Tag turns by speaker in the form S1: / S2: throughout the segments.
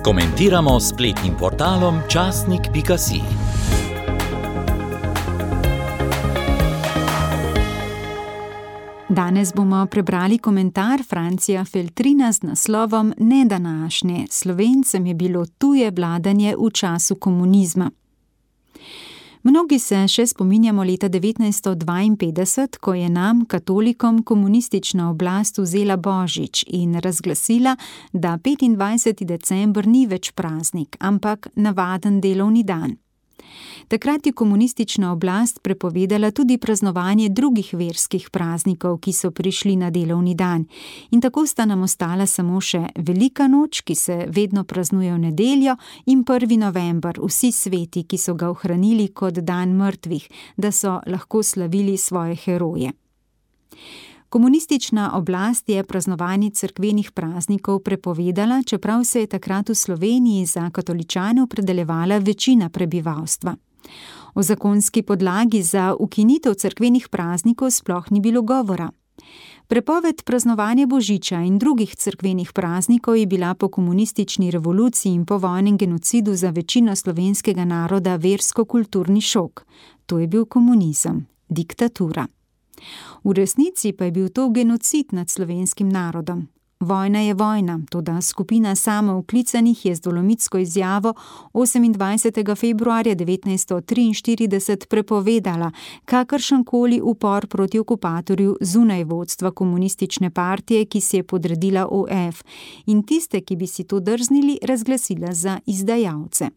S1: Komentiramo s spletnim portalom časnik.si.
S2: Danes bomo prebrali komentar Francija Feltrina z naslovom Ne današnje, Slovencem je bilo tuje vladanje v času komunizma. Mnogi se še spominjamo leta 1952, ko je nam, katolikom, komunistična oblast vzela božič in razglasila, da 25. december ni več praznik, ampak navaden delovni dan. Takrat je komunistična oblast prepovedala tudi praznovanje drugih verskih praznikov, ki so prišli na delovni dan. In tako sta nam ostala samo še Velika noč, ki se vedno praznuje v nedeljo, in 1. november, vsi sveti, ki so ga ohranili kot dan mrtvih, da so lahko slavili svoje heroje. Komunistična oblast je praznovanje cerkvenih praznikov prepovedala, čeprav se je takrat v Sloveniji za katoličane opredeljevala večina prebivalstva. O zakonski podlagi za ukinitev cerkvenih praznikov sploh ni bilo govora. Prepoved praznovanja božiča in drugih cerkvenih praznikov je bila po komunistični revoluciji in povojnem genocidu za večino slovenskega naroda versko-kulturni šok. To je bil komunizem, diktatura. V resnici pa je bil to genocid nad slovenskim narodom. Vojna je vojna, toda skupina samooklicanih je z dolomitsko izjavo 28. februarja 1943 prepovedala kakršenkoli upor proti okupatorju zunaj vodstva komunistične partije, ki si je podredila OF, in tiste, ki bi si to drznili, razglasila za izdajalce.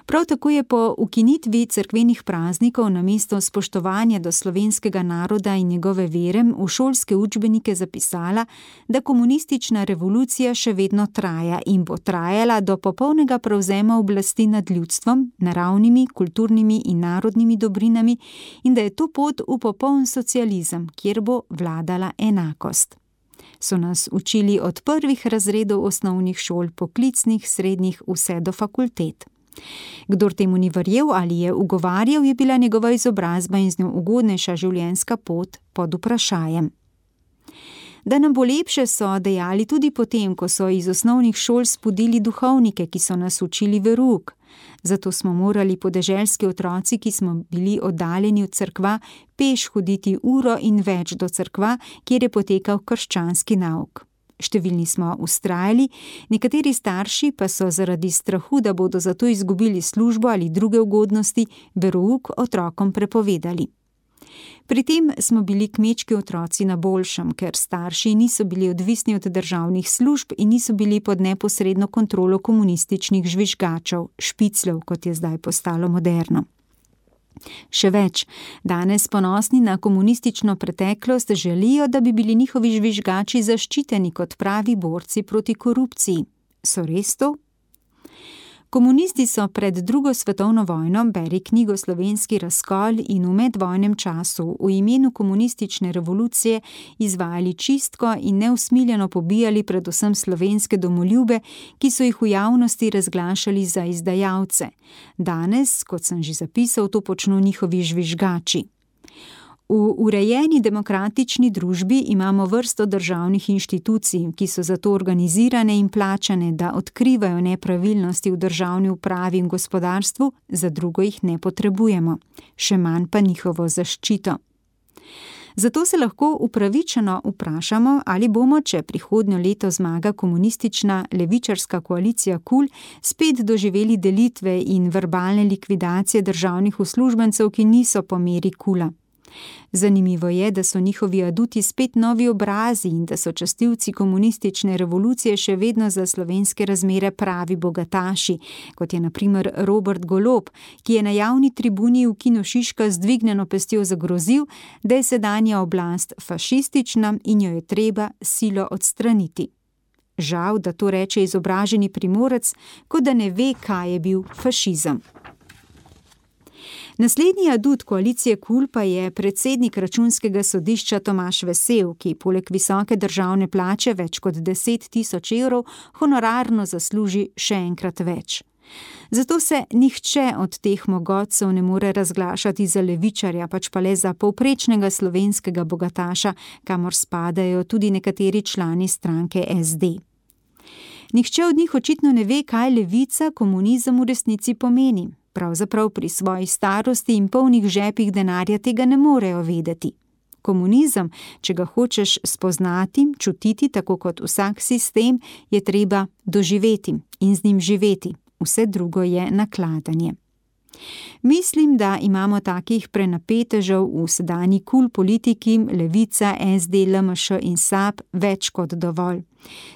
S2: Prav tako je po ukinitvi cerkvenih praznikov namesto spoštovanja do slovenskega naroda in njegove vere v šolske učbenike zapisala, da komunistična revolucija še vedno traja in bo trajala do popolnega prevzema oblasti nad ljudstvom, naravnimi, kulturnimi in narodnimi dobrinami in da je to pot v popoln socializem, kjer bo vladala enakost. So nas učili od prvih razredov osnovnih šol, poklicnih, srednjih, vse do fakultet. Kdor temu ni verjel ali je ugovarjal, je bila njegova izobrazba in z njo ugodnejša življenjska pot pod vprašajem. Da nam bo lepše, so dejali tudi potem, ko so iz osnovnih šol spodili duhovnike, ki so nas učili verouk. Zato smo morali podeželski otroci, ki smo bili oddaljeni od cerkva, peš hoditi uro in več do cerkva, kjer je potekal krščanski nauk. Številni smo vztrajali, nekateri starši pa so zaradi strahu, da bodo zato izgubili službo ali druge ugodnosti, verouk otrokom prepovedali. Pri tem smo bili kmečki otroci na boljšem, ker starši niso bili odvisni od državnih služb in niso bili pod neposredno kontrolo komunističnih žvižgačev, špicljev, kot je zdaj postalo moderno. Še več, danes ponosni na komunistično preteklost želijo, da bi bili njihovi žvižgači zaščiteni kot pravi borci proti korupciji. So res to? Komunisti so pred drugo svetovno vojno, beri knjigo Slovenski razkol, in v medvojnem času v imenu komunistične revolucije izvajali čistko in neusmiljeno pobijali predvsem slovenske domoljube, ki so jih v javnosti razglašali za izdajalce. Danes, kot sem že zapisal, to počnu njihovi žvižgači. V urejeni demokratični družbi imamo vrsto državnih inštitucij, ki so zato organizirane in plačane, da odkrivajo nepravilnosti v državni upravi in gospodarstvu, za drugo jih ne potrebujemo, še manj pa njihovo zaščito. Zato se lahko upravičeno vprašamo, ali bomo, če prihodnjo leto zmaga komunistična levičarska koalicija KUL, spet doživeli delitve in verbalne likvidacije državnih uslužbencev, ki niso po meri KUL-a. Zanimivo je, da so njihovi aduti spet novi obrazi in da so častilci komunistične revolucije še vedno za slovenske razmere pravi bogataši, kot je na primer Robert Golob, ki je na javni tribuni v Kinu Šiška z dvignjeno pestjo zagrozil, da je sedanja oblast fašistična in jo je treba silo odstraniti. Žal, da to reče izobraženi Primorec, kot da ne ve, kaj je bil fašizem. Naslednji adut koalicije KUL pa je predsednik Računskega sodišča Tomaž Vesel, ki poleg visoke državne plače več kot 10 tisoč evrov honorarno zasluži še enkrat več. Zato se nihče od teh mogotcev ne more razglašati za levičarja, pač pa le za povprečnega slovenskega bogataša, kamor spadajo tudi nekateri člani stranke SD. Nihče od njih očitno ne ve, kaj levica, komunizem v resnici pomeni. Pravzaprav pri svoji starosti in polnih žepih denarja tega ne morejo vedeti. Komunizem, če ga hočeš spoznati, čutiti tako kot vsak sistem, je treba doživeti in z njim živeti. Vse drugo je nakladanje. Mislim, da imamo takih prenapetežev v sedanji politiki, Levica, SD, LMŠ in SAB več kot dovolj.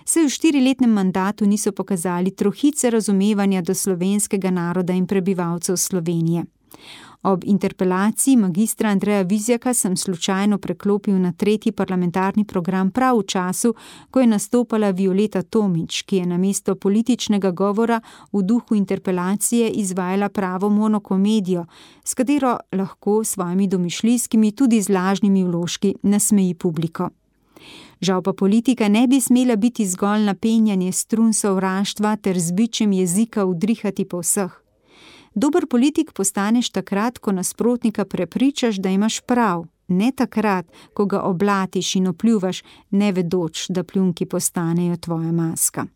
S2: Saj v 4-letnem mandatu niso pokazali trohice razumevanja do slovenskega naroda in prebivalcev Slovenije. Ob interpelaciji magistra Andreja Vizjaka sem slučajno preklopil na 3. parlamentarni program prav v času, ko je nastopala Violeta Tomić, ki je namesto političnega govora v duhu interpelacije izvajala pravo monokomedijo, s katero lahko svojimi domišljijskimi, tudi z lažnimi vložki, nasmeji publiko. Žal pa politika ne bi smela biti zgolj napenjanje strun sovraštva ter z bičem jezika udrihati po vseh. Dober politik postaneš takrat, ko nasprotnika prepričaš, da imaš prav, ne takrat, ko ga oblatiš in opljuvaš, ne vedoč, da pljunki postanejo tvoja maska.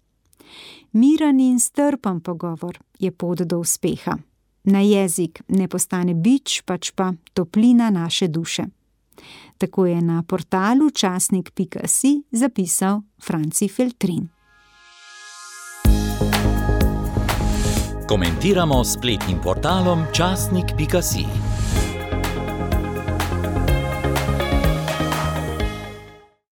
S2: Miren in strpen pogovor je pot do uspeha. Na jezik ne postane bič, pač pa toplina naše duše. Tako je na portalu časnik.si zapisal Franci Feltrin.
S1: Komentiramo s spletnim portalom časnik.si.